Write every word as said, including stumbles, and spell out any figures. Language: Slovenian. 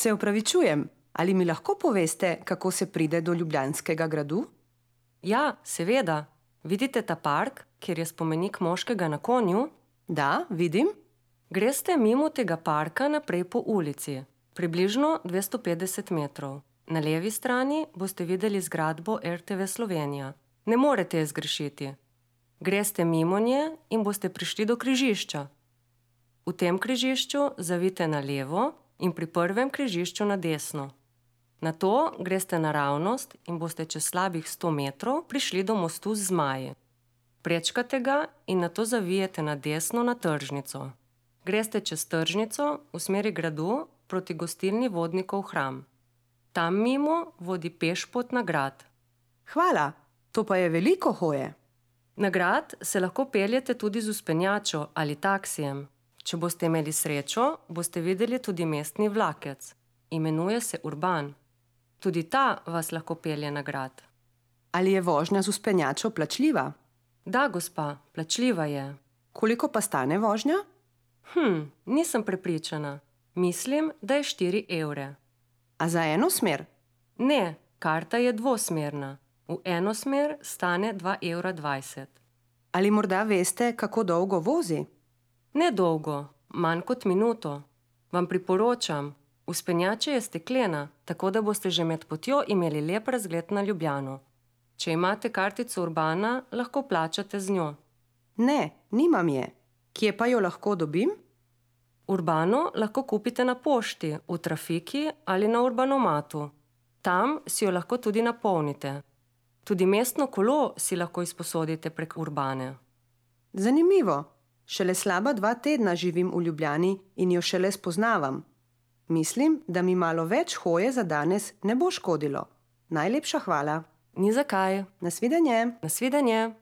Se opravičujem, ali mi lahko poveste, kako se pride do Ljubljanskega gradu? Ja, seveda. Vidite ta park, kjer je spomenik moškega na konju? Da, vidim. Greste mimo tega parka naprej po ulici, približno dvesto petdeset metrov. Na levi strani boste videli zgradbo R T V Slovenija. Ne morete je zgrešiti. Greste mimo nje in boste prišli do križišča. V tem križišču zavijte na levo in pri prvem križišču na desno. Nato greste naravnost in boste čez slabih sto metrov prišli do mostu z zmaji. Prečkate ga in nato zavijete na desno na tržnico. Greste čez tržnico v smeri gradu proti gostilni Vodnikov hram. Tam mimo vodi pešpot na grad. Hvala, to pa je veliko hoje. Na grad se lahko peljete tudi z vzpenjačo ali taksijem. Če boste imeli srečo, boste videli tudi mestni vlakec. Imenuje se Urban. Tudi ta vas lahko pelje na grad. Ali je vožnja z vzpenjačo plačljiva? Da, gospa, plačljiva je. Koliko pa stane vožnja? Hm, nisem prepričana. Mislim, da je štiri evre. A za eno smer? Ne, karta je dvosmerna. V eno smer stane dva evra dvajset. Ali morda veste, kako dolgo vozi? Ne dolgo, manj kot minuto. Vam priporočam, vzpenjača je steklena, tako da boste že med potjo imeli lep razgled na Ljubljano. Če imate kartico Urbana, lahko plačate z njo. Ne, nimam je. Kje pa jo lahko dobim? Urbano lahko kupite na pošti, v trafiki ali na Urbanomatu. Tam si jo lahko tudi napolnite. Tudi mestno kolo si lahko izposodite prek Urbane. Zanimivo. Šele slaba dva tedna živim v Ljubljani in jo šele spoznavam. Mislim, da mi malo več hoje za danes ne bo škodilo. Najlepša hvala. Ni za kaj. Nasvidenje. Nasvidenje.